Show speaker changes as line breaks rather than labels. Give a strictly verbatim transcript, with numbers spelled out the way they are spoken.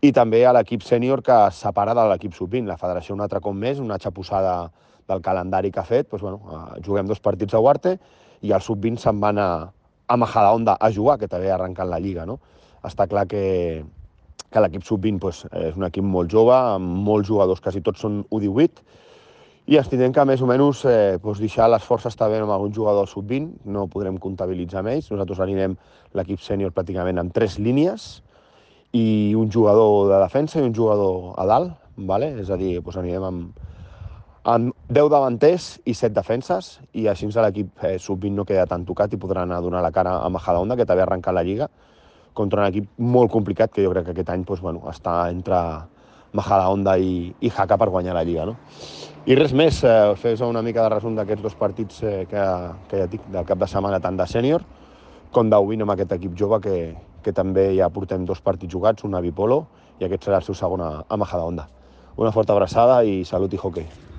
i també a l'equip sènior que es separa de l'equip sub vint. La federació un altre cop més, una xapussada del calendari que ha fet, doncs, bueno, juguem dos partits a Huarte i el sub vint se'n van a, a Majadahonda a jugar, que també ha arrencat la Lliga, no? Està clar que, que l'equip sub vint doncs, és un equip molt jove, amb molts jugadors, quasi tots són U divuit, i ens tindrem que més o menys eh, doncs deixar les forces també amb algun jugador sub vint, no podrem comptabilitzar amb ells. Nosaltres anirem l'equip sènior pràcticament amb tres línies i un jugador de defensa i un jugador a dalt, vale? És a dir, doncs anirem amb, amb deu davanters i set defenses, i així l'equip eh, sub vint no queda tan tocat i podrà anar a donar la cara a Majadahonda, que també ha arrencat la Lliga, contra un equip molt complicat, que jo crec que aquest any doncs, bueno, està entre Majadahonda i, i Jaca per guanyar la Lliga, no? I res més, eh, fes una mica de resum d'aquests dos partits eh, que, que ja dic, del cap de setmana, tant de sènior com d'U vint amb aquest equip jove, que, que també ja portem dos partits jugats, un a Bipolo, i aquest serà el seu segon a, a Majadahonda. Una forta abraçada i salut i hoquei.